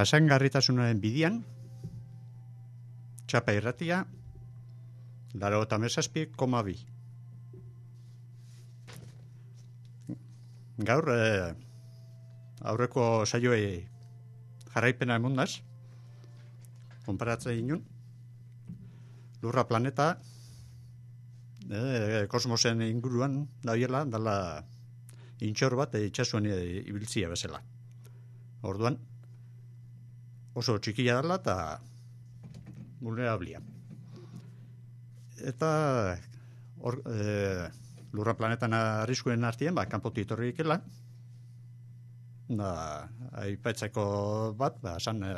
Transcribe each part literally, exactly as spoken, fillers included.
jasangarritasunaren bidian, txapa irratia, laurogeita hamazazpi koma bi. Gaur, eh, aurreko saioei jarraipena emundaz, konparatzen inun, Lurra planeta, eh, kosmosen inguruan dabiela, dala intxor bat itxasuan ibiltzia bezala. Orduan, oso txikia dela eta vulnerablia. Eta or, e, Lurra planetan arriskuen artien, ba, kanpotik etorri ikela, da, aipatzeko bat, ba, san, e,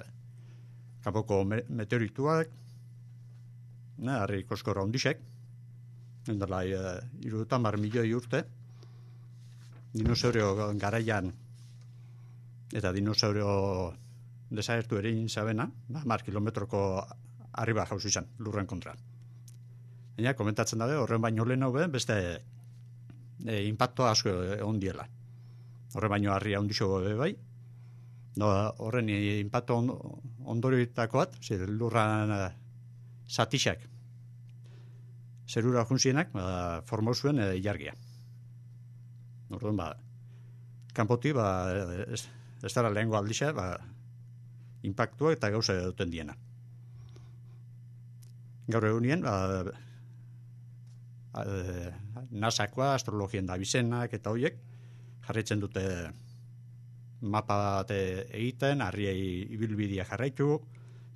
kanpoko me, meteorituak, na, harri koskora ondixek, endala, e, irutan bar milioi urte, dinosaurio garaian, eta dinosaurio desagertu ere inzabena, mar kilometroko arriba jauzu izan, lurren kontra. Baina, komentatzen dabe, horren baino lehen hau beste e, impacto asko egon diela. Horren baino harria ondixo be bai, no, horren impacto on, ondorioetakoat, lurran uh, satixak, zerura junzienak, ba, formau zuen e, jargia. Orduan, ba, kanpoti, ba, ez, ez dara lehengo aldixa, ba, impactua eta gauza duten diena. Gaur egunien, ba, nasakoa, astrologien da bizenak eta hoiek, jarraitzen dute mapa bat egiten, harriei ibilbidea jarraitu,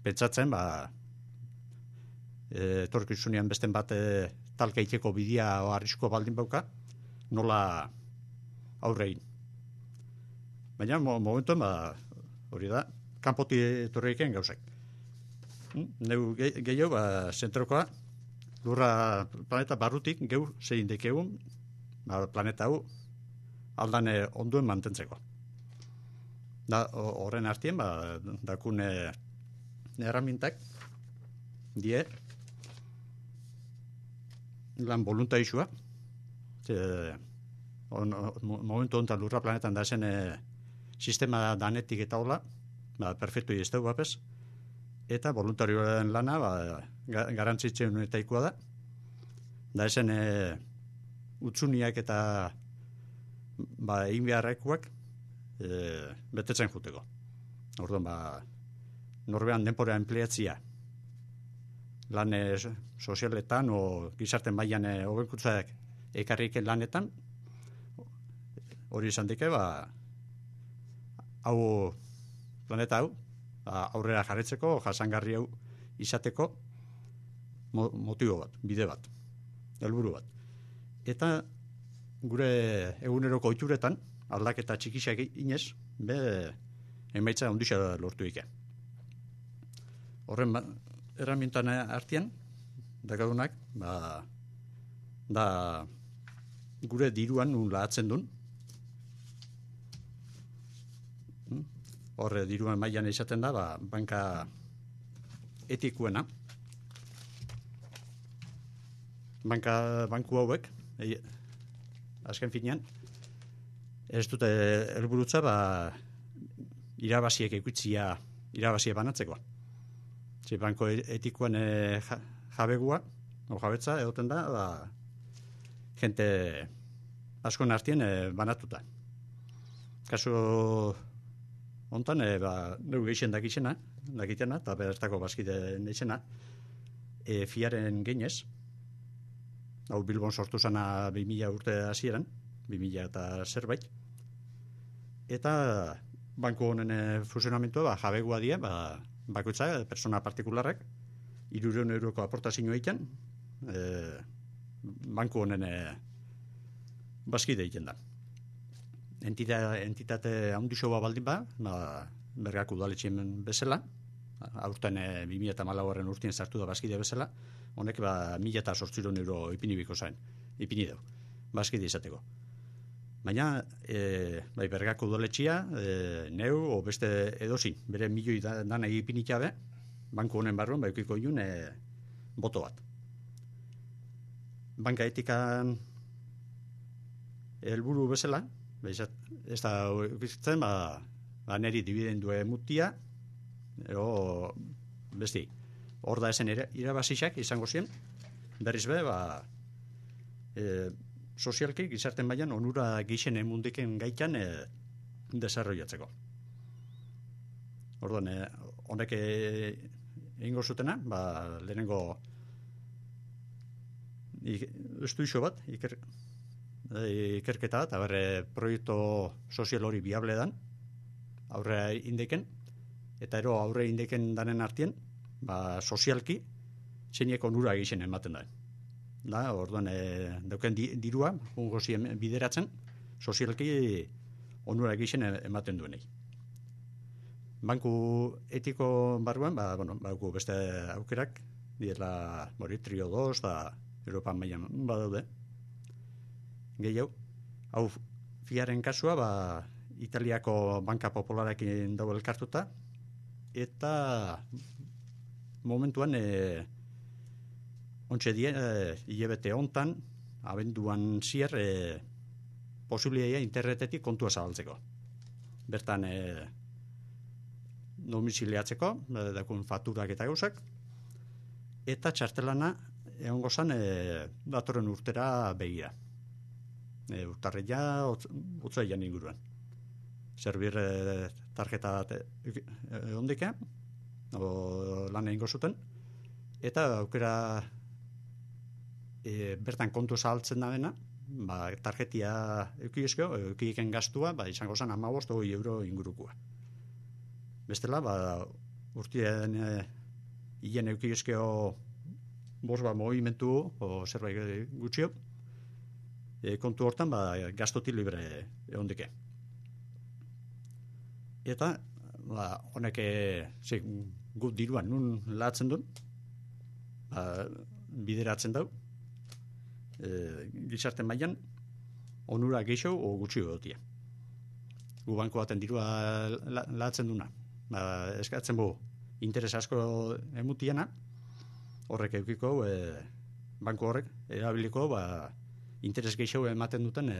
pentsatzen, ba, etorkizunean besten bat talkeiteko bidea o arrisko baldin bauka, nola aurrein. Baina, momentuen, ba, hori da, kanpoti etorreiken gauzak. Neu gehiago, ba, zentrokoa, Lurra planeta barrutik geu zein dekegun, ba, planeta hau aldan onduen mantentzeko. Da, horren artien, ba, dakune erramintak, die, lan voluntarizua, on, momentu honetan Lurra planetan da zen e, sistema danetik eta hola, ba, perfectu izteu bapez, eta voluntarioen lana ba, garantzitzen unetaikoa da. Da esen e, utzuniak eta ba, egin beharrekoak e, betetzen juteko. Orduan, ba, norbean denpora empleatzia lan e, sozialetan o gizarten mailan e, hobekuntzak ekarriken lanetan, hori izan dike, ba, hau planeta hau, aurrera jarretzeko, jasangarri hau izateko motibo bat, bide bat, helburu bat. Eta gure eguneroko ohituretan aldaketa txikisak inez, be emaitza ondisa lortu ike. Horren erramintan artean, dakadunak, ba, da gure diruan nun lahatzen duen, horre diruan mailan izaten da, ba, banka etikuena. Banka, banku hauek, e, azken finean, ez dute helburutza, ba, irabaziek ikutzia, irabaziek banatzeko. Zi, banko etikoen e, jabegua, o jabetza, egoten da, ba, jente askon artien e, banatuta. Kasu hontan, e, ba, neu geixen dakitxena, dakitena, eta bertako bazkide neixena, e, fiaren geinez, hau Bilbon sortu zana bi mila urte hasieran, bi mila eta zerbait, eta banku honen e, funtzionamentua, ba, jabegua die, ba, bakoitza, persona partikularrak, hirurehun euroko aportazioa egiten, e, banku honen e, bazkide egiten da. Entita, entitate handisoa baldin ba, ba bergako udaletxeen bezala, aurten e, bi mila eta hamalaugarren urtien sartu da bazkide bezala, honek ba mila eta zortziehun euro ipinibiko zain, ipini deu, bazkide izateko. Baina, e, bai bergako udaletxea, e, neu, o beste edozin, bere milioi da, dana ipinikabe, banku honen barruan, bai ukiko iun, e, boto bat. Banka etikan helburu bezala, ez da ukitzen, ba, ba neri dibidendue mutia, ero besti, hor da esen irabazixak izango ziren, berriz be, ba, e, sozialki, gizarten baian, onura gixen emundiken gaitan e, desarrollatzeko. Orduan, e, honek egingo zutena, ba, lehenengo estuixo bat, iker, ikerketa, eta berre proiektu sozial hori biable dan, aurre indeken, eta ero aurre indeken danen artien, ba, sozialki, zeinek onura egiten ematen da. Da, orduan, e, dauken di, dirua, ungo zien bideratzen, sozialki onura egiten ematen duenei. Banku etiko barruan, ba, bueno, bauku beste aukerak, diela, mori, trio dos, da, Europan mailan badaude. Gehiago, hau fiaren kasua, ba, Italiako banka popularekin dago elkartuta, eta momentuan e, ontsa die, e, hilabete hontan, abenduan zier, e, posibilia internetetik kontua zabaltzeko. Bertan, e, domiziliatzeko, e, dakun fakturak eta gauzak, eta txartelana egongo zan e, datorren urtera begira. E, urtarria, otzaian inguruan. Zerbir e, tarjeta bat e, ondike, o, lan egingo zuten, eta aukera e, bertan kontu zahaltzen da dena, ba, tarjetia eukizko, eukiken gastua, ba, izango zen hamabost hogei euro ingurukua. Bestela, ba, urtien e, hien eukizko bost ba, movimentu o zerbait gutxio, e, kontu hortan ba, gastoti libre ehondike. Eta ba, honek e, gut diruan nun latzen duen, ba, bideratzen dau, e, gizarte mailan onura gehiago o gutxio egotia. Gu banko baten dirua la, latzen duna. Ba, eskatzen bu interes asko emutiena, horrek eukiko, e, banko horrek erabiliko ba, interes gehiago ematen duten e,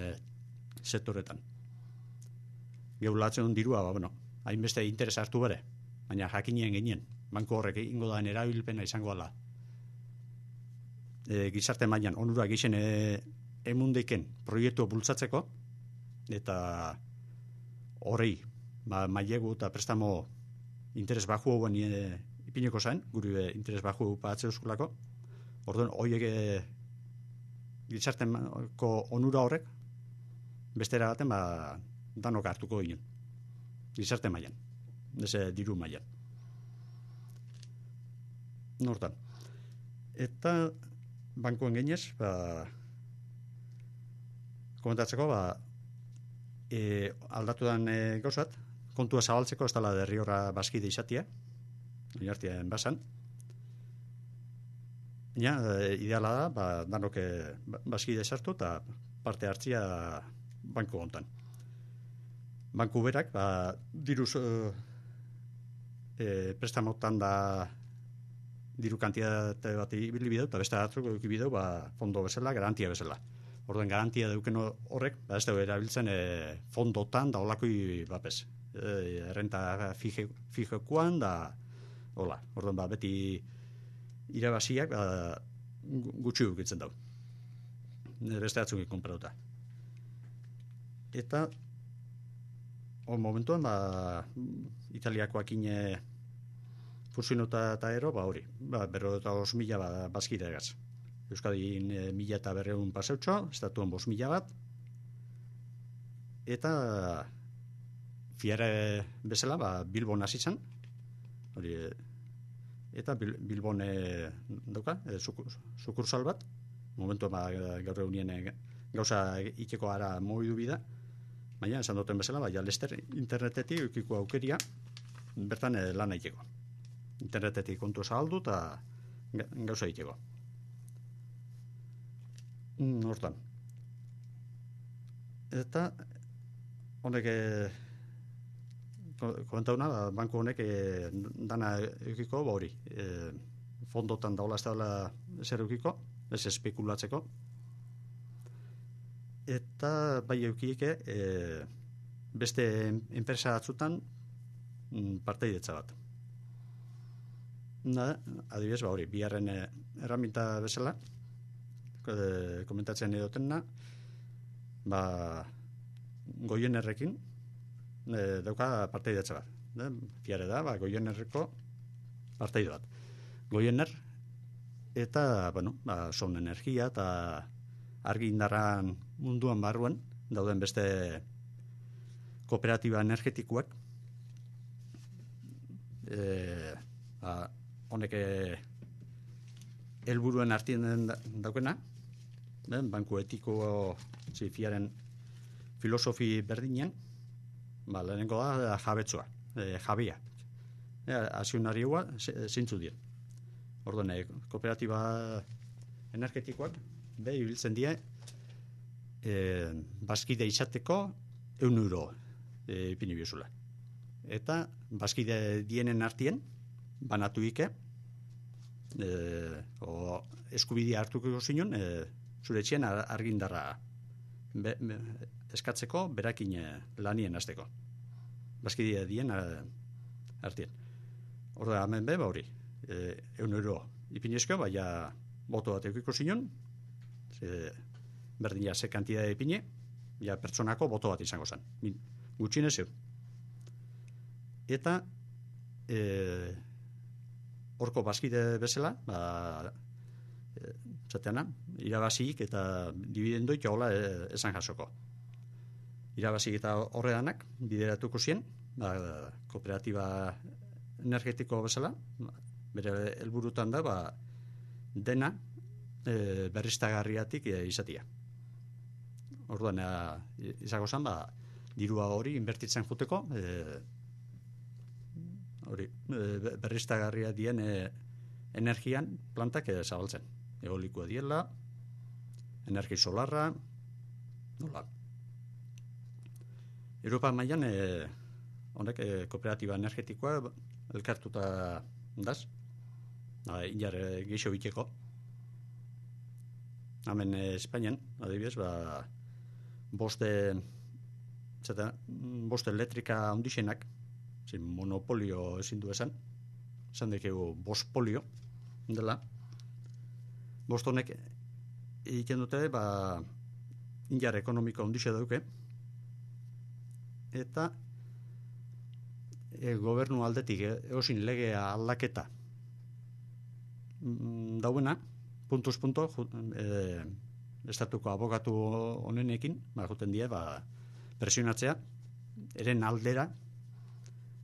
sektoretan. Geulatzen duen dirua, ba, bueno, hainbeste interes hartu bere, baina jakinien genien, banko horrek ingo daen erabilpena izango ala. E, gizarte mailan onura gixen e, emundeiken proiektu bultzatzeko, eta horrei, ba, mailegu eta prestamo interes baju hauen e, ipineko zain, guri interes baju patze euskulako, orduan, horiek e, gizarteko onura horrek, bestera baten, ba, danok hartuko ginen. Gizarte mailan, eze diru mailan. Nortan. Eta bankoen genez, ba, komentatzeko, ba, e, aldatu dan e, gauzat, kontua zabaltzeko ez dela derri horra bazkide izatia, oinartien basan. Ja, e, ideala da, ba, danok e, bazkide sartu eta parte hartzia banko hontan. Banku berak, ba, diruz e, prestamotan da diru kantitate bat ibili bideu, eta beste batzuk eduki bideu, ba, fondo bezala, garantia bezala. Orduan garantia dauken horrek, ba, ez dugu erabiltzen e, fondotan da olakoi bapes. E, errenta fije, fijekoan da, hola, orduan ba, beti irabaziak ba, gutxi dukitzen dau. Beste batzuk konparatuta. Eta on momentuan, ba, Italiakoak ine fusionota eta ero, ba hori, ba, berro eta os mila ba, bazkide egaz. Euskadin e, mila eta berreun paseutxo, estatuan bos mila bat, eta fiare bezala, ba, Bilbon hasi zen, hori, eta Bil, Bilbon e, dauka, e, sukursal bat, momentuan ba, gaur egunien e, gauza iteko ara mobidu bida, baina, esan duten bezala, baina lester internetetik eukiko aukeria bertan e, lan aiteko. Internetetik kontu zahaldu eta gauza aiteko. Mm, hortan. Eta honek e, komentauna, banko honek e, dana eukiko, ba hori, e, fondotan daula ez daula zer eukiko, ez espekulatzeko, eta bai eukieke e, beste enpresa batzutan parteidetza bat. Na, adibidez, ba hori, biharren eh, erraminta bezala, eh, komentatzen edotena, ba, Goienerrekin eh, dauka parteidatza bat. Eh? Fiare da, ba, Goienerreko parteido bat. Goiener, eta, bueno, ba, son energia eta argi indarran munduan barruan, dauden beste kooperatiba energetikoak, eh, ba, honek helburuen artien daukena, eh? Banku etiko zifiaren filosofi berdinean, ba, lehenengo da jabetzua, e, jabia. E, Azionarioa zintzu dien. Orduan, e, kooperatiba energetikoak, be, ibiltzen die, e, bazkide izateko eun euro e, ipini biozula. Eta bazkide dienen artien, banatu ike, e, o eskubidea hartuko zinon, e, zure etxean argindarra be, be, eskatzeko, berakin lanien hasteko. Bazkidea dien artien. Orda, hemen be, ba hori, e, eun euro ipinezko, baina boto bat eukiko zinon, ze, berdin ja, ze kantidade ipine, ja, pertsonako boto bat izango zen. Gutxinez eun. Eta, e, horko bazkide bezala, ba, e, zateana, irabazik eta dividendoik hola esan jasoko. Irabazik eta horredanak bideratuko zien, ba, kooperatiba energetiko bezala, bere helburutan da, ba, dena e, berriztagarriatik e, izatia. Orduan, e, izango zen, ba, dirua hori inbertitzen juteko, e, hori, e, berriztagarria dien e, energian plantak e, zabaltzen. Eolikoa diela, energi solarra, nola. Europa mailan e, honek e, kooperatiba energetikoa elkartuta daz, e, inar e, geixo biteko. Hemen e, Espainian, adibidez, ba, boste, zeta, boste elektrika ondixenak, zin monopolio ezin du esan, esan dekegu bospolio dela. Bost honek egiten dute, ba, inar ekonomiko ondixe dauke, eta e, gobernu aldetik e, eosin legea aldaketa mm, dauena, puntuz punto, e, estatuko abokatu honenekin, ba, juten die, ba, presionatzea, eren aldera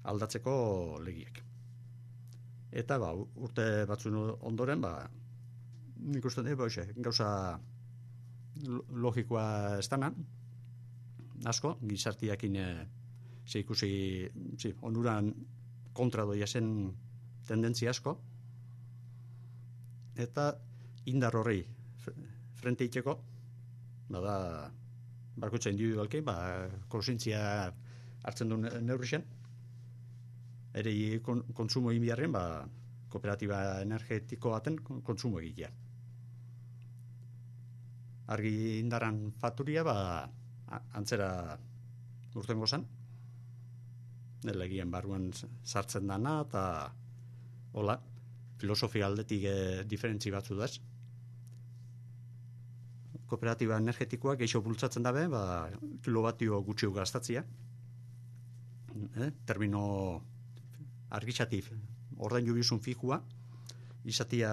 aldatzeko legiek. Eta, ba, urte batzun ondoren, ba, nik uste dut, gauza logikoa ez dana, asko, gizartiakin e, ze ikusi, zi, onuran kontra doia zen tendentzia asko, eta indar horrei frente iteko, bada, bakutza individualki, ba, konsientzia hartzen duen neurrixen, ere kon, konsumo inbiarren, ba, kooperatiba energetiko baten konsumo egitea. Argi indaran fakturia, ba, antzera urtengo zen, legien barruan sartzen dana, eta hola, filosofia aldetik e, diferentzi batzu daz. Kooperatiba energetikoa geixo bultzatzen dabe, ba, kilobatio gutxiu gaztatzia. Eh? Termino argitxatif, ordain jubizun fijua, izatia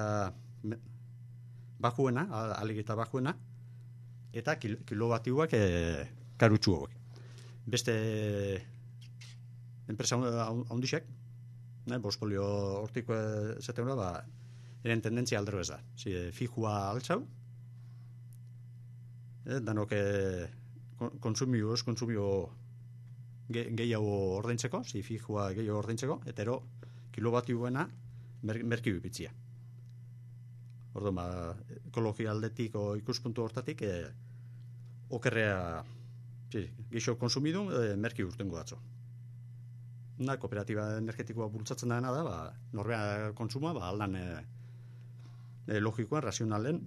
bajuena, alegeta bajuena, eta kil, kilobatioak e, karutxuak. Beste enpresa ondixek, ne, bospolio hortiko zaten ba, eren tendentzia aldero ez da. Si, fijua altzau, eh, danok e, konsumio, ez konsumio ge, gehiago ordaintzeko, si fijua gehiago ordaintzeko, eta ero kilobatioena mer, merki bipitzia. Orduan, ba, ekologia aldetik o ikuspuntu hortatik, e, okerrea si, geixo konsumidu, e, merki urtengo datzo. Na, kooperatiba energetikoa bultzatzen dena da, ba, norbea kontsuma, ba, aldan e, e, logikoan, razionalen,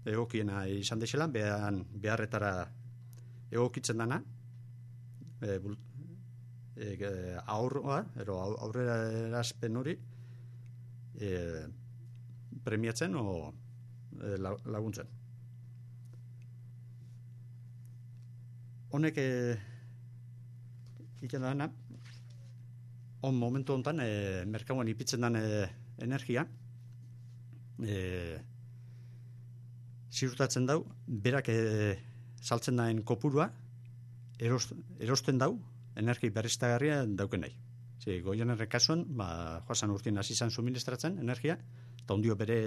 egokiena izan deixela, behan, beharretara egokitzen dena, e, bult, e, aurroa, ero aurrera erazpen hori, e, premiatzen o e, laguntzen. Honek e, egiten dana, on momentu honetan, e, merkauan ipitzen den e, energia, e, ziurtatzen dau, berak e, saltzen daen kopurua, erost, erosten dau, energi berriztagarria dauken nahi. Zi, Goienerren kasuan, ba, joasan urtien hasi izan suministratzen energia, eta ondio bere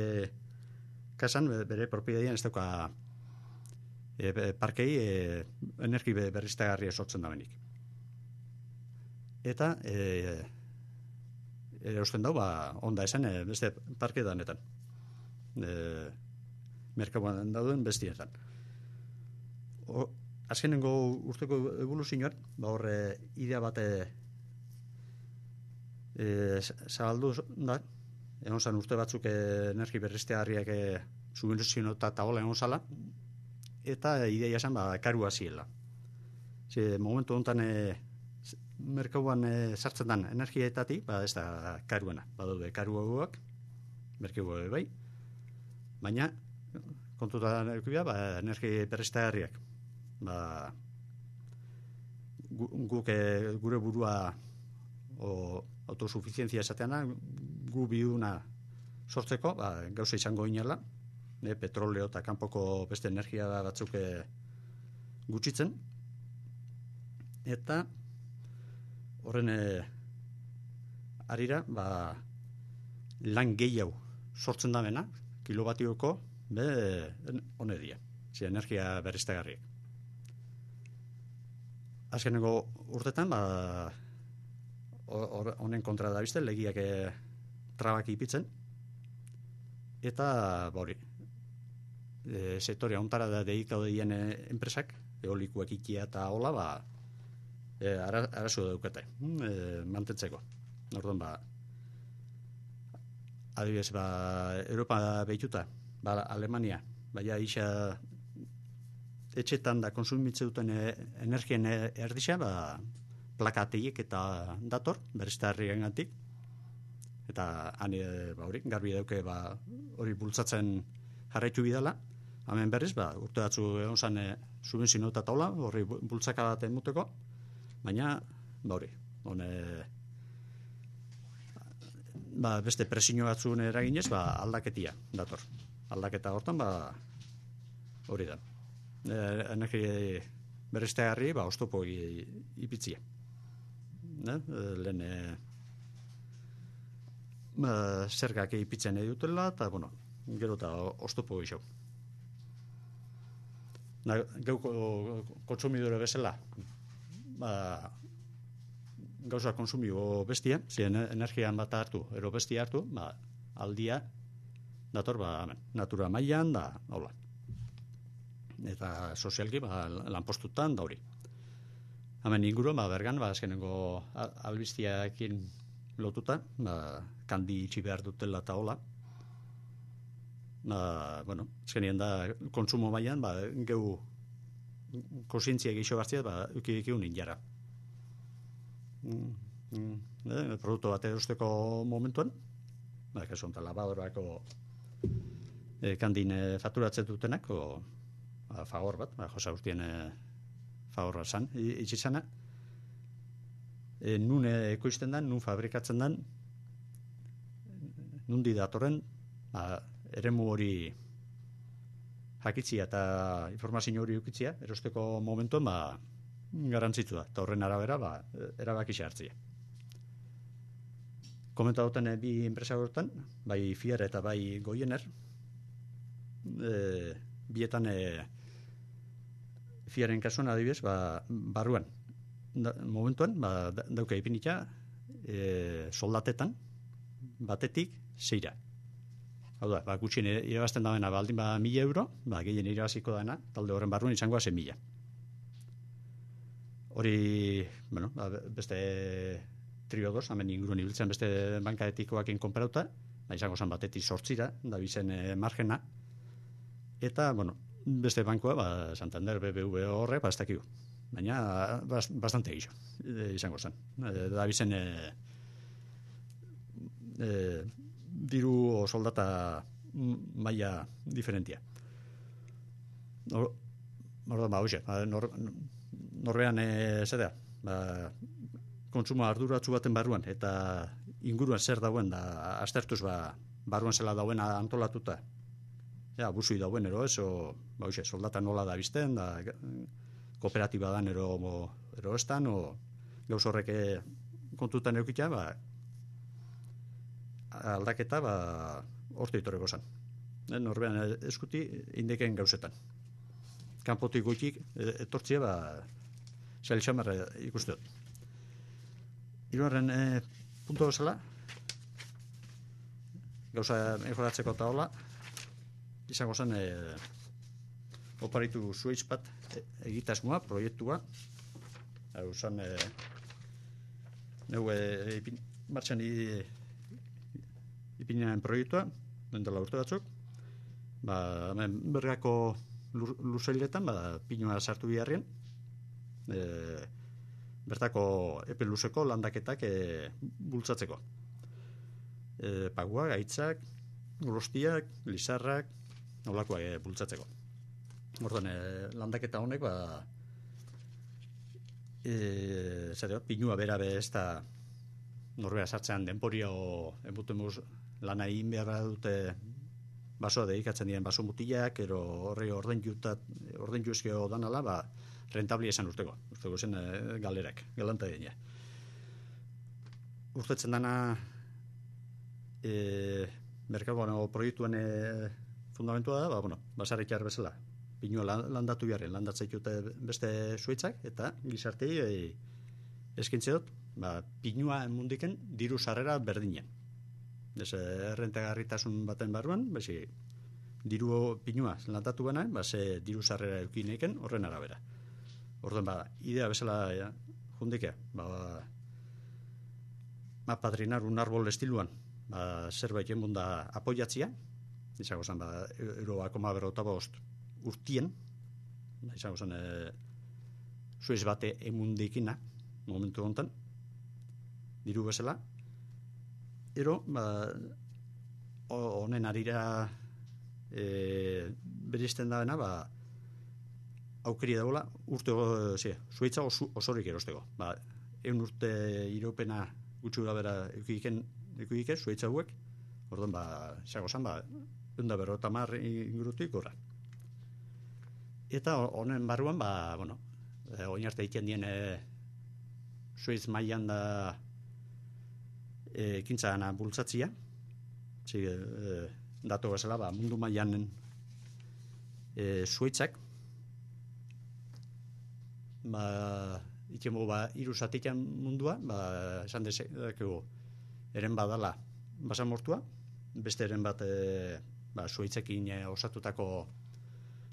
kasan, bere propiedadian ez dauka e, parkei e, energi berriztagarria sortzen da benik. Eta e, erosten dau, ba, onda esan, e, beste parke danetan. E, merkauan dauden bestietan. O, azkenengo urteko evoluzioan, ba horre idea bate e, zabaldu da, egon zan urte batzuk energi berriztagarriak e, subvenzio eta taola egon zala, eta ideia esan ba, karua ziela. Ze, momentu honetan e, merkauan e, sartzen den energiaetatik, ba ez da karuena, badaude karuagoak, merkeu bai, baina kontutan edukibia, ba, energi berriztagarriak. Ba, gu, guk e, gure burua o autosuficientzia esateana, gu biuna sortzeko, ba, gauza izango inela, e, petroleo eta kanpoko beste energia batzuk e, gutxitzen, eta horren e, arira, ba, lan gehiago sortzen da bena, kilobatioko, be, hone dia, zi, energia berriztagarriak. Azkeneko urtetan, ba, honen kontra da bizte, legiak e, trabak ipitzen, eta, ba hori, e, sektorea ontara da dedikau dien e, enpresak, eolikuak ikia eta hola, ba, e, ara, arazo daukate, e, mantentzeko. Orduan, ba, adibidez, ba, Europa behituta, ba, Alemania, baina isa etxetan da konsumitze duten energien erdisa, ba, plakateik eta dator, berriztagarrien gantik, eta hane, ba, hori, garbi dauke, ba, hori bultzatzen jarraitu bidala, hemen berriz, ba, urte batzu egon zan e, subvenzio eta taula, hori bultzaka bat emuteko, baina, ba, hori, hone, ba, beste presio batzuen eraginez, ba, aldaketia dator. Aldaketa hortan, ba, hori da. E, energi berriztagarri, ba, oztopo ipitzia. Ne? Lehen e, ba, zergak ipitzen edutela, eta, bueno, gero eta oztopo gixau. Na, geuko kontsumidore bezala, ba, gauza konsumio bestia, ziren energian bat hartu, ero bestia hartu, ba, aldia, dator, ba, amen, natura mailan, da, hola. Eta sozialki, ba, lanpostutan, da hori. Hemen inguruan, ba, bergan, ba, azkenengo albiztiakin lotuta, ba, kandi itxi behar dutela eta hola. Ba, bueno, azkenien da, konsumo mailan, ba, geu konsientzia geixo hartzia, ba, uki unin jara. Mm, mm, eh, produktu bat erosteko momentuan, ba, kasu honetan labadorako e, kandin e, fakturatzen dutenak, o, ba, fagor bat, ba, josa urtien e, fagorra zan, itxizana, e, nun ekoizten den, nun fabrikatzen den, nundi datorren, ba, eremu hori jakitzia eta informazio hori ukitzia, erosteko momentuan, ba, garantzitu da, eta horren arabera, ba, erabaki hartzia. Komenta duten bi enpresa horretan, bai Fiera eta bai Goiener, e, bietan e, Fiaren kasuan adibidez, ba, barruan, da, momentuan, ba, dauka ipinitza, e, soldatetan, batetik zeira. Hau da, ba, gutxien irabazten dagoena baldin ba mila euro, ba, gehien irabaziko dana, talde horren barruan izangoa zen mila. Hori, bueno, ba, beste triodos, hemen inguruen ibiltzen beste bankaetikoakin konparauta, ba, izango zen batetik sortzira, da bizen e, margena, eta, bueno, beste bankoa, ba, Santander, B B V horre, ba, ez dakigu. Baina, bast, bastante gixo, e, izango zen. E, da bizen, e, e, diru o soldata maila diferentia. Nor, Orduan, ba, hoxe, nor, norbean e, zera, ba, kontsumo arduratsu baten barruan, eta inguruan zer dauen, da, aztertuz, ba, barruan zela dauen antolatuta, ja, abusui dauen, ero, ez, o, ba, hoxe, soldata nola da bizten, da, kooperatiba dan, ero, mo, ero estan, o, gauz horrek kontutan eukitea, ba, aldaketa, ba, orte itoreko zan. Norbean eskuti, indeken gauzetan. Kanpotik goitik, etortzia, ba, zail xamarra ikuste dut. Hirugarren e, puntu bezala, gauza mejoratzeko eta hola, izango zen, e, oparitu zueiz bat egitasmoa, proiektua, hau zen, e, neu e, ipin, martxan ipinaren proiektua, dentela urte batzuk, ba, hemen bergako luzailetan, ba, pinua sartu biharrien, e, bertako epe luzeko landaketak e, bultzatzeko. E, pagua, gaitzak, golostiak, lizarrak, nolakoak e, bultzatzeko. Orduan, e, landaketa honek, ba, e, zare, pinua bera be ez da norbea sartzean denporia o enbutemuz lana egin behar dute basoa dedikatzen diren baso mutilak, ero horre orden jutat, orden juzkeo danala, ba, rentabli esan urteko. Urteko zen e, galerak, galanta dina. Urtetzen dana e, merkagoan o proiektuen e, fundamentua da, ba, bueno, basarrik jar bezala. Pinua landatu biharren, landatzaitute beste zuitzak, eta gizartei e, eskintze dut, ba, pinua mundiken diru sarrera berdinen. Ez errentagarritasun baten barruan, bezi, diru pinua landatu bana, ba, ze diru sarrera eukineiken horren arabera. Orduan, ba, idea bezala ja, jundikea, ba, ba, padrinar un árbol estiluan, ba, zerbait enbun da apoiatzia, izango zen, ba, euro akoma berrota bost urtien, ba, izango zen, e, zuiz bate emundikina, momentu honetan, diru bezala, ero, ba, honen arira e, beristen daena, ba, aukeri dagoela, urte, ze, zuaitza oso, osorik erosteko. Ba, eun urte iraupena gutxura bera eukiken, eukiken, zuaitza hauek, orduan, ba, xago zan, ba, eunda berro eta mar ingurutik gorra. Eta honen barruan, ba, bueno, e, oin arte egiten dien e, zuaitz mailan da e, ekintza gana bultzatzia, zi, e, dato bezala, ba, mundu mailan e, zuaitzak, ba, ikemo, ba, iruzatikan mundua, ba, esan dezakegu, eren badala basamortua, beste eren bat, e, ba, zuaitzekin e, osatutako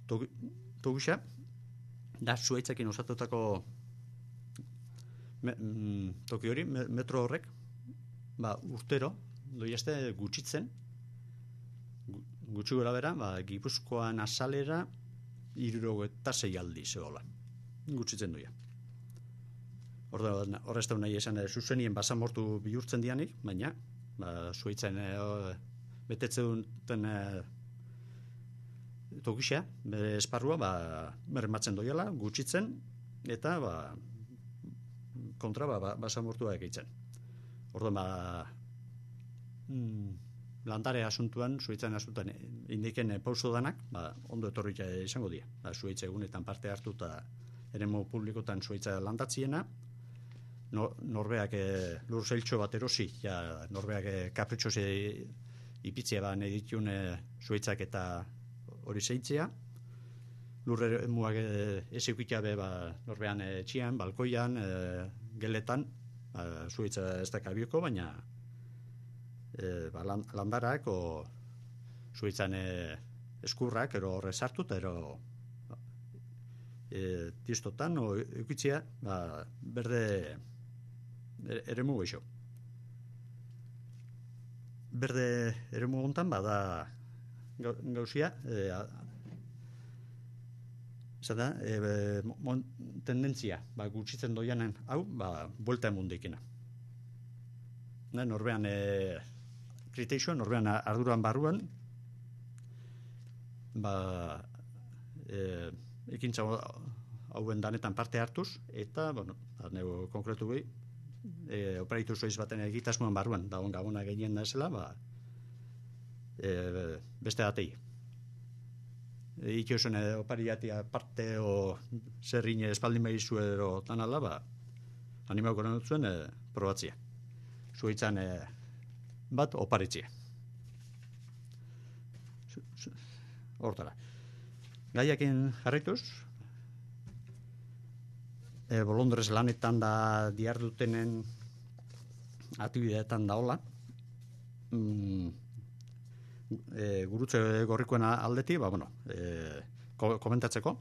toguxa, da zuaitzekin osatutako me, mm, toki hori, me, metro horrek, ba, urtero, doiazte gutxitzen, gutxi gora bera, ba, Gipuzkoan azalera, hirurogeita eta sei aldi zehola. Gutxitzen duia. Horrez da nahi esan, zuzenien basamortu bihurtzen dianik, baina, ba, zuaitzen e, betetze duten e, tokixea, bere esparrua, ba, bermatzen doiala, gutxitzen, eta, ba, kontra, ba, basamortua egeitzen. Orduan, ba, mm, landare asuntuan, zuaitzen asuntuan, indiken e, pauso danak, ba, ondo etorrik izango dira. Ba, zuaitze egunetan parte hartuta eremu publikotan zuaitza landatziena, no, norbeak e, lur zeiltxo bat erosi, ja, norbeak e, kapritxoze ipitzea ba, nahi ditun e, zuaitzak eta hori zeitzea, lur emuak e, ez eukitea be, ba, norbean e, txian, balkoian, e, geletan, ba, zuaitza ez da kabioko, baina e, ba, landarak o zuaitzan e, eskurrak, ero horre sartu, eta ero e, tistotan, o eukitzea, ba, berde eremu goixo. Berde eremu gontan, bada gauzia, e, zata, e, mon, tendentzia, ba, gutxitzen doianen, hau, ba, buelta emundikina. Ne, norbean, e, kriterio norbean arduran barruan, ba, e, ekintza hauen danetan parte hartuz, eta, bueno, nego konkretu behi, e, oparitu zoiz baten egitasmoan barruan, da on gabona gehien da esela, ba, e, beste atei. E, Ikiosen e, opariatia parte o zerrin espaldin behizu edo tanala, ba, animauko nahi zuen e, probatzia. Zuitzan e, bat oparitzia. Hortara. Gaiakin jarrituz, e, bolondrez lanetan da diardutenen aktibideetan da hola, mm, e, gurutze gorrikoen aldeti, ba, bueno, e, ko, komentatzeko,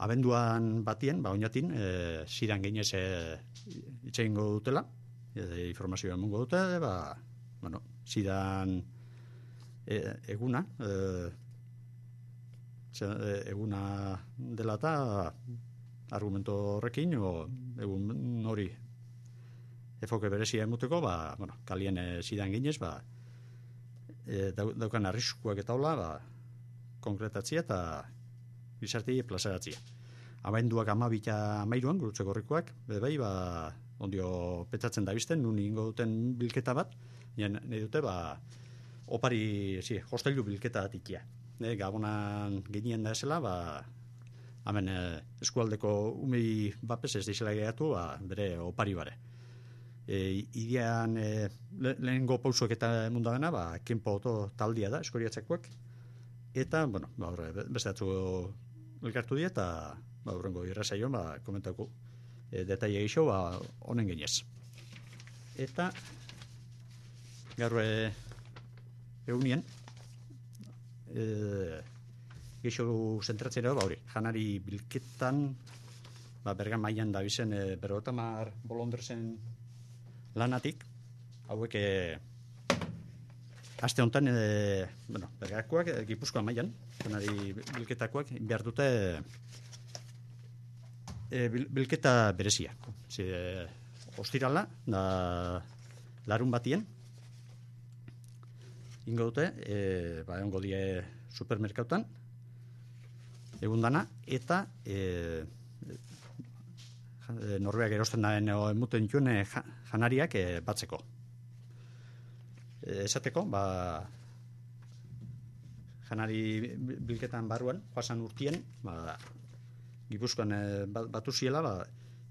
abenduan batien, ba, oinatin, e, zidan geinez e, itxeingo dutela, e, informazioa emungo dute, ba, bueno, zidan e, eguna, e, eguna dela eta argumento horrekin, o egun hori efoke berezia emuteko, ba, bueno, kalien e, zidan ginez, ba, e, daukan arriskuak eta hola, ba, konkretatzia eta gizarti plazaratzia. Abenduak amabita amairuan, gurutze gorrikoak, bai, ba, ondio petzatzen da bizten, nun ingo duten bilketa bat, nien, nahi dute, ba, opari, zi, hostailu bilketa atikia. E, Gabonan genien da esela, ba, hemen e, eskualdeko umei bapes ez dizela gehiatu, ba, bere opari bare. E, idean e, le, lehengo pausuak eta mundagana, ba, kenpo oto taldia da, eskoriatzakoak, eta, bueno, ba, horre, beste atzu elkartu die, eta, ba, horrengo irrazaion, ba, komentako e, detaile gixo, ba, honen genez. Eta, gaur e, egunien, e, geixo zentratzera, ba, hori, janari bilketan, ba, bergan mailan da bizen, e, berotamar bolondrezen lanatik, hauek, e, aste honetan, e, bueno, bergakoak, e, Gipuzkoa mailan, janari bilketakoak, behar dute, e, bil, bilketa berezia. Zi, e, ostirala, da, larun batien, ingo dute, e, ba, ongo die supermerkautan, egun dana, eta e, e, norbeak erosten daen emuten juen e, janariak e, batzeko. E, esateko, ba, janari bilketan barruan, joasan urtien, ba, Gipuzkoan e, batu ziela, ba,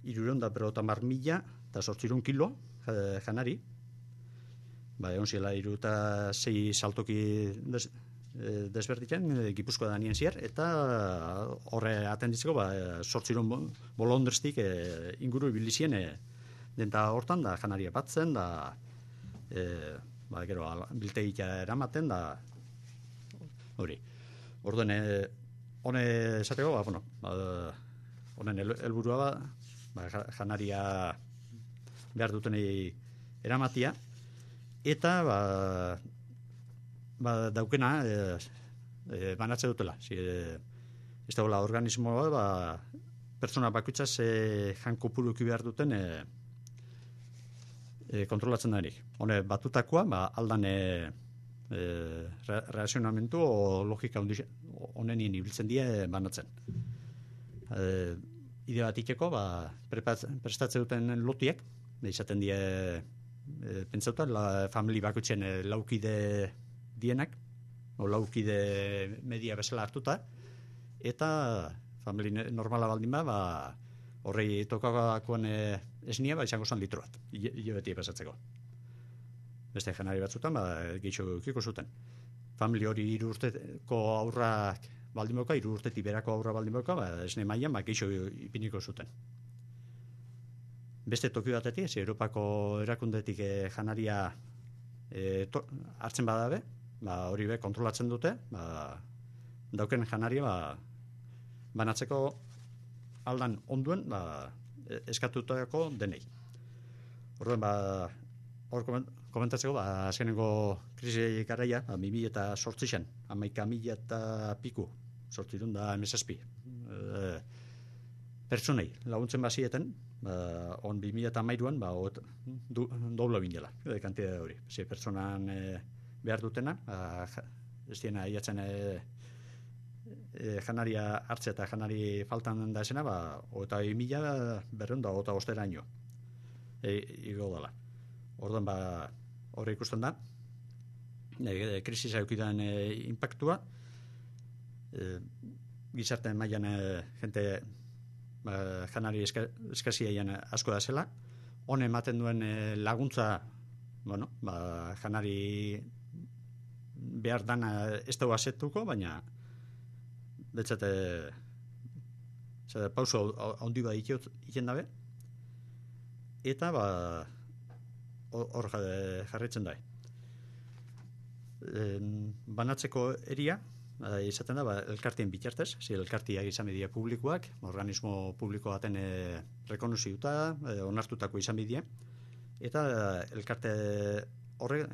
irureun da perotamar mila, eta sortzirun kilo e, janari, ba, egon ziela iru eta sei saltoki des, e, desberditzen, e, Gipuzkoa da nien zier, eta horre atenditzeko, ba, sortziron bolondrestik e, inguru ibilizien, e, denta hortan, da janaria batzen, da, e, ba, gero, biltegia eramaten, da, hori. Orduen, e, hone esateko, ba, bueno, ba, honen helburua ba, ba, janaria behar dutenei eramatia, eta ba, ba, daukena e, e, banatze dutela. Si, e, ez dagoela organismoa, ba, pertsona bakuitzaz e, jankopuruki behar duten e, e, kontrolatzen da erik. Hone batutakoa, ba, aldan e, e, re, reazionamentu o logika honenien ibiltzen die banatzen. E, ide bat iteko, ba, prestatze duten lotiek, izaten die e, pentsauta, la famili bakutzen e, laukide dienak, o laukide media bezala hartuta, eta famili normala baldin ba, ba horrei tokakakoan e, esnia, ba, izango zen litro bat, hile beti pasatzeko. Beste janari batzutan, ba, gehitxo kiko zuten. Famili hori hiru urteko aurrak baldin boka, hiru urtetik berako aurra baldin boka, ba, esne mailan, ba, gehitxo ipiniko zuten. Beste toki batetik, ez Europako erakundetik e, janaria e, to, hartzen badabe, ba, hori be kontrolatzen dute, ba, dauken janaria ba, banatzeko aldan onduen ba, eskatutako denei. Orduan, ba, hor komentatzeko, ba, azkenengo krisi garaia, ba, bi mila eta zortzixan, hamaika mila eta piku, zortzirun da emezazpi. E, pertsonei laguntzen bazieten, ba, on bi mila eta hamairuan, ba, du, doblo bindela, e, kantidade hori. Ze pertsonan e, behar dutena, ez diena iatzen e, e, janaria hartze eta janari faltan da esena, ba, eta mila berreun da, eta ostera ino, e, igo dela. Orduan, ba, horre ikusten da, e, krisisa eukidan e, impactua, e, gizarte mailan e, jente ba, janari eska, eskaziaien asko da zela, hone ematen duen e, laguntza, bueno, ba, janari behar dana ez dugu asetuko, baina betzate pauso handi bat iten dabe, eta ba, hor jarritzen da. E, banatzeko eria, ba, izaten da, ba, elkartien bitartez, zi elkartiak izan bidia publikoak, organismo publiko baten e, rekonoziuta, e, onartutako izan bidia, eta elkarte horre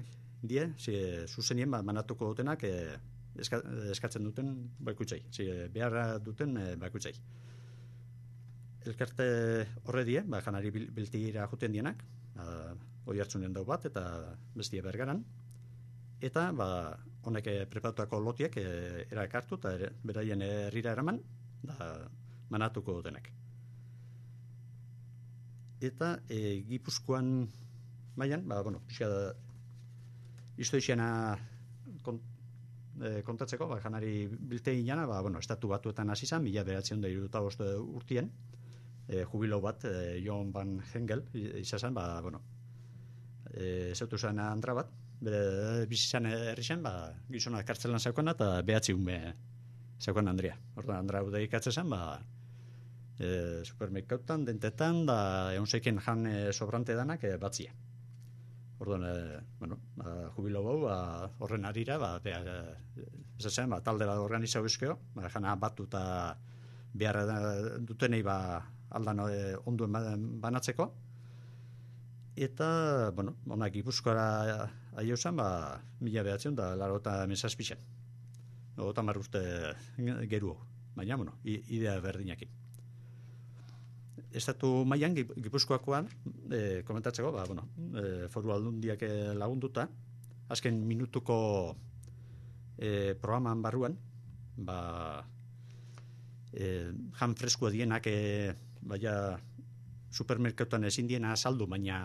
die, zi, zuzenien ba, manatuko dutenak e, eska, eskatzen duten baikutzei, zi, behar duten e, baikutzei. Elkarte horre die, ba, janari bil, biltira juten dienak, ba, hoi hartzunen dau bat, eta bestia bergaran, eta ba, honek preparatutako lotiek e, erakartu eta ere, beraien herrira eraman, da manatuko dutenak. Eta e, Gipuzkoan mailan, ba, bueno, pixka historiana kont, e, kontatzeko, ba, janari bilte inana, ba, bueno, estatu batuetan hasi zen, mila bederatziehun eta hirurogeita bost urtien, e, jubilo bat, e, Johan van Hengel, izan, ba, bueno, e, zeutu zen andra bat, bere bizizan herri zen, ba, gizona kartzelan zeukana, eta behatzi ume zeukan Andrea. Orduan, Andra hau ikatzen zen, ba, e, supermerkautan, dentetan, da egun zeiken jan e, sobrante danak e, batzia. Orduan, e, bueno, ba, jubilo bau, ba, horren arira, ba, behar, ez zen, ba, talde bat organizau izkeo, ba, jana batu eta behar dutenei, ba, aldan e, onduen banatzeko, eta, bueno, onak Gipuzkoara aio zen, ba, mila behatzen da, laro eta mesazpixen. Eta mar urte geru, baina, bueno, idea berdinakin. Estatu mailan Gipuzkoakoan, e, komentatzeko, ba, bueno, e, foru aldundiak lagunduta, azken minutuko e, programan barruan, ba, e, jan freskoa dienak, e, baina, supermerkatuan ezin diena saldu, baina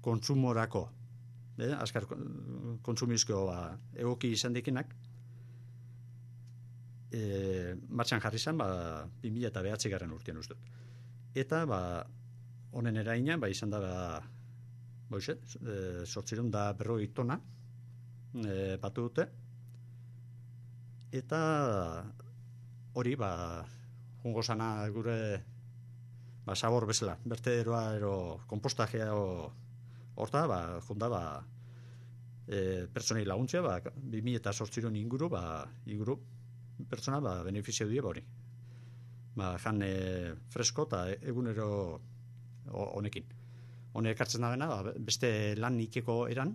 kontsumorako, eh, azkar kontsumizko ba, egoki izan dikinak, e, martxan jarri zen, ba, bi mila bederatzi garren urtean uste. Eta, ba, honen eraina, ba, izan da, ba, boize, e, sortzirun da berroi tona, e, batu dute, eta hori, ba, jungo sana gure ba, sabor bezala, bertederoa ero kompostajea o, horta, ba, jonda, ba, e, pertsonei laguntzea, ba, bi mila eta sortziron inguru, ba, inguru pertsona, ba, benefizio die hori. Ba, jan e, fresko eta egunero honekin. Honek hartzen da bena, ba, beste lan ikeko eran,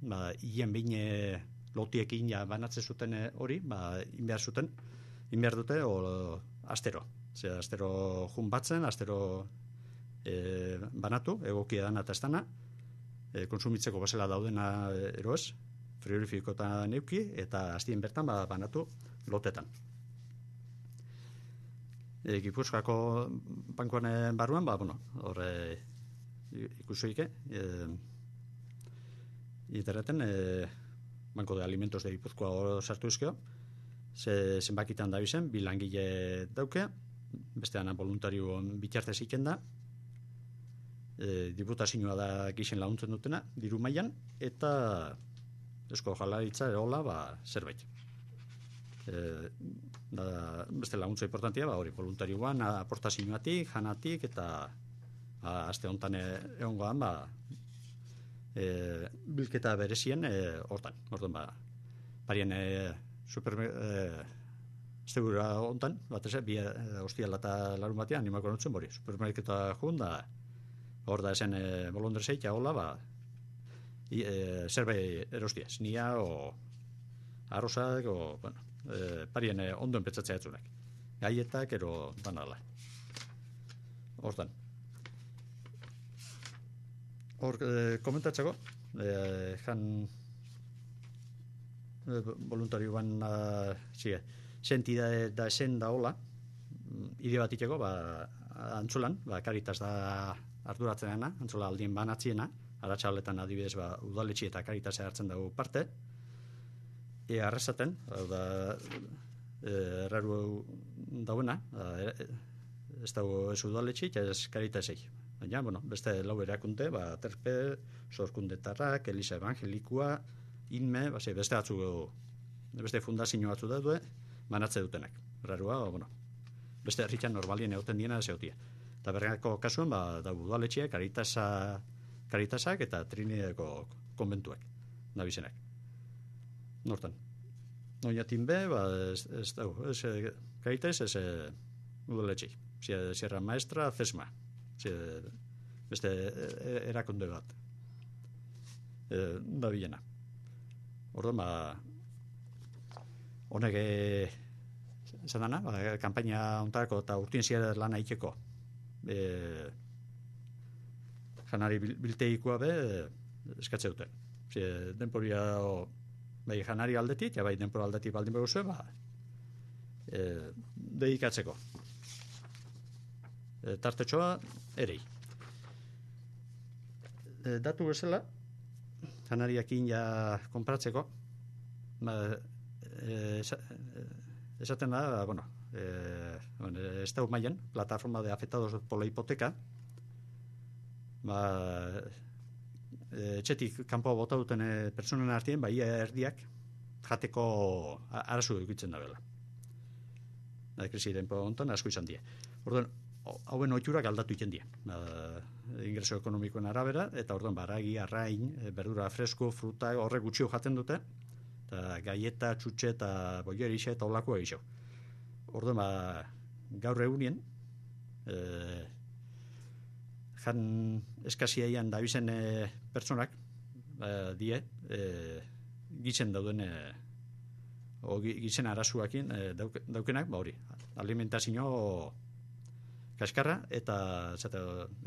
ba, hien behin e, lotiekin ja banatzen zuten hori, ba, inbehar zuten, inbehar dute, o, astero. Zer, astero jun batzen, astero e, banatu, egokia dana eta estana, e, konsumitzeko bezala daudena eroez, frigorifikotan neuki, eta hastien bertan ba, banatu lotetan. E, Gipuzkoako bankoan barruan, ba, bueno, horre ikusoike, e, interreten, e, Banko de Alimentos de Gipuzkoa hor sartu izkeo, ze, zenbakitan da bizen, bi langile daukea, bestean voluntario bitartez iken da, e, diputazioa da gixen laguntzen dutena, diru mailan, eta esko jalaritza erola, ba, zerbait. E, da, beste laguntza importantia, ba, hori, voluntarioan, aportazioatik, janatik, eta ba, aste honetan egongoan, ba, e, bilketa berezien e, hortan, orduan, ba, parien e, super... E, Zegura hontan, bat ez, bi hostiala eta larun batean, animako notzen bori, supermerketa jun, da, hor da esen e, bolondrezeit, hola, ba, e, zerbait erostiaz, nia, o arrozak, o, bueno, e, parien e, ondo enpetzatzea etzunak. Gaietak, ero, banala. Hortan. Hor, e, komentatzeko, e, jan voluntarioan uh, zige, sentidade da esen da hola, ide bat iteko, ba, antzolan, ba, Karitas da arduratzen dena, antzola aldien banatziena, aratsaldetan adibidez, ba, udaletxe eta Karitasea hartzen dugu parte, e arrasaten, da, e, erraru dauena, e, ez dago ez udaletxe, ez Karitasei. Baina, bueno, beste lau erakunde, ba, Terpe, Sorkundetarrak, Elisa Evangelikua, Inme, base, beste atzu, beste fundazio batzu daude, banatze dutenak. Errarua, bueno, beste herritan normalien egoten diena zeutia. Eta bergako kasuan, ba, da udaletxea, Karitasa, Karitasak eta Trinidadeko konbentuak, nabizenak. Nortan. Oinatin be, ba, ez, ez dago, ez, Karitas, ez udaletxei. Sierra Maestra, Cesma. Beste erakunde bat. E, da bilena. Orduan, ba, honek esan dana, ba, kampaina ontarako eta urtien zier lan aikeko. E, janari bilteikoa be eskatze duten. Zie, denporia bai janari aldetik, ja bai denpora aldetik baldin beguzu, ba, e, dedikatzeko. E, tartetxoa erei. E, datu bezala, janariakin ja konpratzeko, ba, e, esaten da, bueno, e, bueno, ez da mailan, plataforma de afectados por la hipoteca, ba, etxetik kanpo bota duten pertsonen artien, ba, ia erdiak jateko arazu edukitzen da bela. Da, krisi denpo hontan asko izan die. Orduan, hauen oiturak aldatu iten die. Ba, ingreso ekonomikoen arabera, eta orduan, baragi, arrain, berdura fresko, fruta, horrek gutxio jaten dute, eta gaieta, txutxe eta boierixe eta olakoa egixo. Orduan, ba, gaur egunien, e, jan eskaziaian dabizen e, pertsonak, e, die, e, gizen dauden, e, o gizen arazuakin e, dauk, daukenak, ba hori, alimentazio kaskarra eta zate,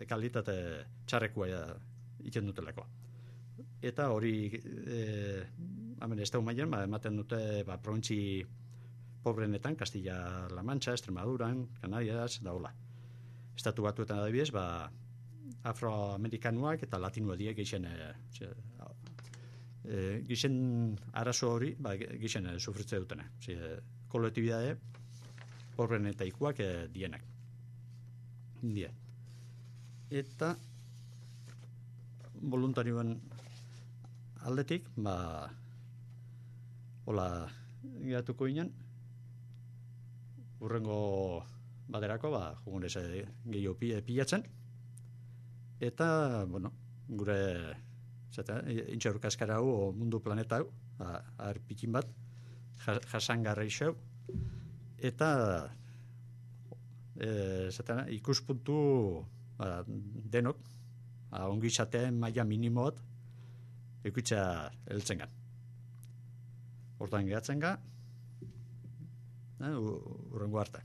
kalitate txarrekoa ja, iten dutelako. Eta hori, e, hemen ez da humailen, ba, ematen dute ba, provintzi pobrenetan, Castilla-La Mancha, Extremaduran, Canarias, da hola. Estatu batuetan adibidez, ba, afroamerikanuak eta latinoa die gixen e, e, gixen arazo hori, ba, gixen e, sufritze dutena. E, kolektibidade pobrenetaikoak e, dienak. Die. Eta voluntarioen aldetik, ba, hola geratuko ginen, urrengo baterako, ba, jugunez e, gehiago pilatzen, eta, bueno, gure intxaurka eskara hau, mundu planeta hau, arpikin bat, jasangarra isau, eta e, zatena, ikuspuntu ba, denok, ba, ongi izateen maila minimoat, ikutza heltzen gan. Hortan gehatzen ga, urrengo arte.